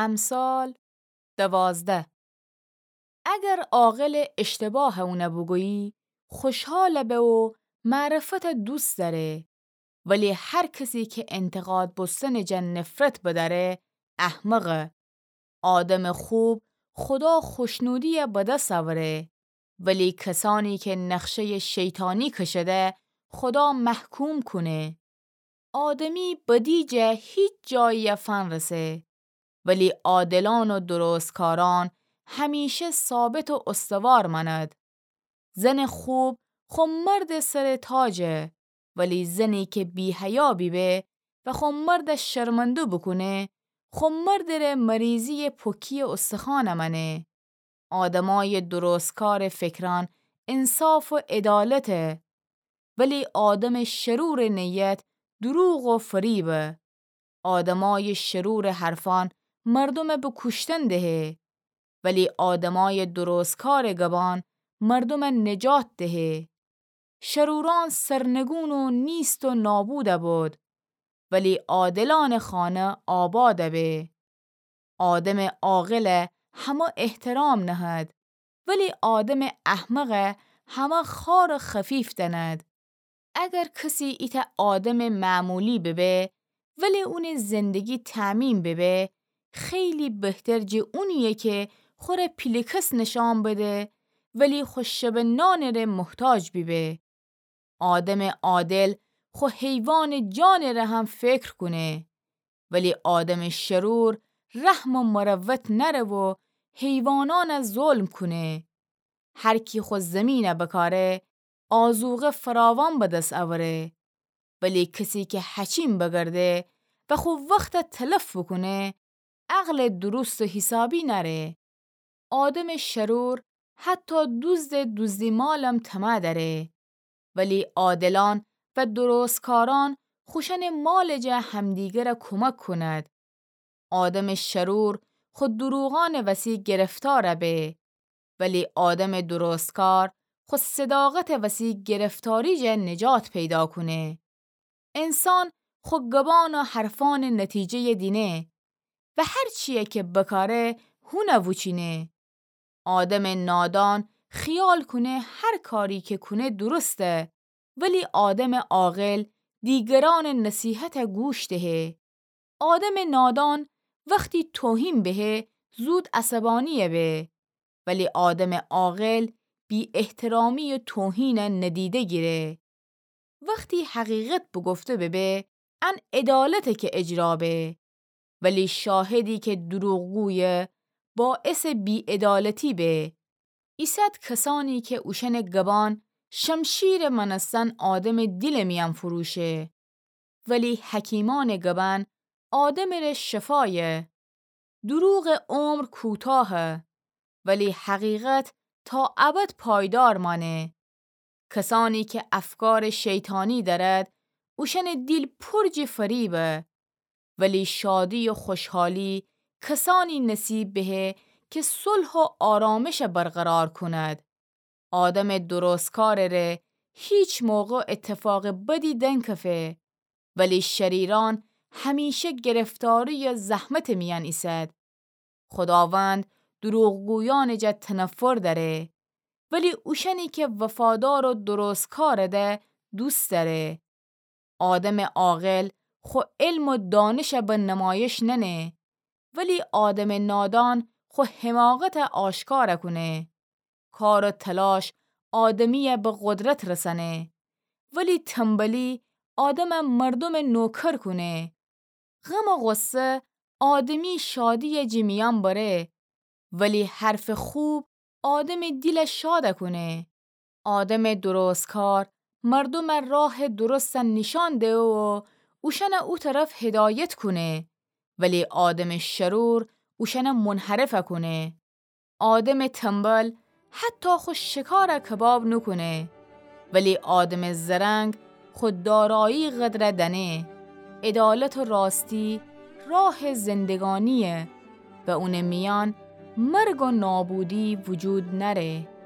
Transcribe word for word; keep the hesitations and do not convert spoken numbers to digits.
امثال دوازده. اگر عاقلٚ اشتباهَ اونَ بوگویی، خوشحال به و معرفتَ دوست دأره، ولی هر کسی که انتقاد بوستنٚ جا نفرت بدأره، احمقه. آدمٚ خوب خودا خوشنودی‌یَ به دس اوره، ولی کسانی که نقشه‌یٚ شیطانی کشده، خودا محکوم کونه. آدمی بدی جا هیچ جایی‌یَ فنرسه، ولی عادلان و درستکاران همیشه ثابت و استوار مأند. زنٚ خوب خو مردٚ سرٚ تاجه، ولی زنی که بی‌حیا بیبه و خو مردَ شرمنده بوکونه، خو مردٚ ره مریضی‌یٚ پوکی‌یٚ استخوانَ مأنه. آدمایٚ درستکارٚ فکران انصاف و عدالته، ولی آدمٚ شرورٚ نیت دروغ و فریبه. آدمایٚ شرورٚ حرفان مردومَ به کوشتن دهه، ولی آدمایٚ درستکارٚ گبان مردومَ نجات دهه. شروران سرنگون و نیست و نابودَ بود، ولی عادلانٚ خانه آبادَ به. آدمٚ عاقلَ همه احترام نهد، ولی آدمٚ احمق همه خوار و خفیف دأند. اگر کسی ایتأ آدمٚ معمولی ببه، ولی اونٚ زندگی تأمین ببه، خیلی بهتر جٚه اونییه که خوره پیله کس نشان بده، ولی خو شبٚ نانٚ ره محتاج بیبه. آدمٚ عادل خو حیوانٚ جانٚ ره هم فکر کونه، ولی آدمٚ شرور رحم و مروت نأره و حیوانانَ ظلم کونه. هر کی خو زمینَ بکاره، آذوقه فراوان به دس اوره، ولی کسی که حکیم بگرده و خو وختَ تلف بوکونه، عقلٚ درست و حسابی نأره. آدمٚ شرور حتی دزدٚ دزدی مالم طمع دأره، ولی عادلان و درستکاران خوشأنٚ مالٚ جا همدیگرَ کمک کند. آدمٚ شرور خو دروغانٚ وسی گرفتار به، ولی آدمٚ درستکار خو صداقتٚ وسی گرفتاری جا نجات پیدا کونه. انسان خو گبان و حرفانٚ نتیجه‌یَ دینه و هر چییَ که بکاره هونَ ووچینه. آدمٚ نادان خیال کونه هر کاری که کونه درسته، ولی آدمٚ عاقل دیگرانٚ نصیحتَ گوش دهه. آدمٚ نادان وختی توهین بهه، زود عصبانی‌یَ به، ولی آدمٚ عاقل بی‌احترامی و توهینَ ندیده گیره. وختی حقیقت بوگفته ببه، ان عدالته که اجرا به، ولی شاهدی که دروغگویه، باعثٚ بی‌عدالتی به. ایسد کسانی که اوشأنٚ گبان شمشیرٚ مأنستن آدمٚ دیلٚ میأن فروشه، ولی حکیمأنٚ گبان آدمٚ ره شفایه. دروغٚ عمر کوتاهه، ولی حقیقت تا ابد پایدار مأنه. کسانی که افکارٚ شیطانی دأرد، اوشأنٚ دیل پر جٚه فریبه، ولی شادی و خوشحالی کسانی نصیب بهه که صلح و آرامشَ برقرار کند. آدمٚ درستکارٚ ره هیچ موقع اتفاقٚ بدی دنکفه، ولی شریرأن همیشه گرفتاری و زحمتٚ میأن ایسد. خوداوند دروغگویأنٚ جا تنفر دأره، ولی اوشأنی که وفادار و درستکارٚ ده دوست دأره. آدمٚ عاقل خو علم و دانشَ به نمایش نأنه، ولی آدمٚ نادان خو حماقتَ آشکارَ کونه. کار و تلاش آدمیَ به قدرت رسأنه، ولی تنبلی آدمَ مردومٚ نوکر کونه. غم و غصه آدمی شادیَ جٚه میأن بره، ولی حرفٚ خوب آدمٚ دیلَ شادَ کونه. آدمٚ درستکار مردومَ راه درستَ نیشأن دهه و اوشأنَ او طرف هدایت کونه، ولی آدمٚ شرور اوشأنَ منحرفَ کونه. آدمٚ تنبل حتی خو شکارَ کباب نوکونه، ولی آدمٚ زرنگ خو دارایی قدرَ دأنه. عدالت و راستی راهٚ زندگانییه و اونٚ میأن مرگ و نابودی وجود نأره.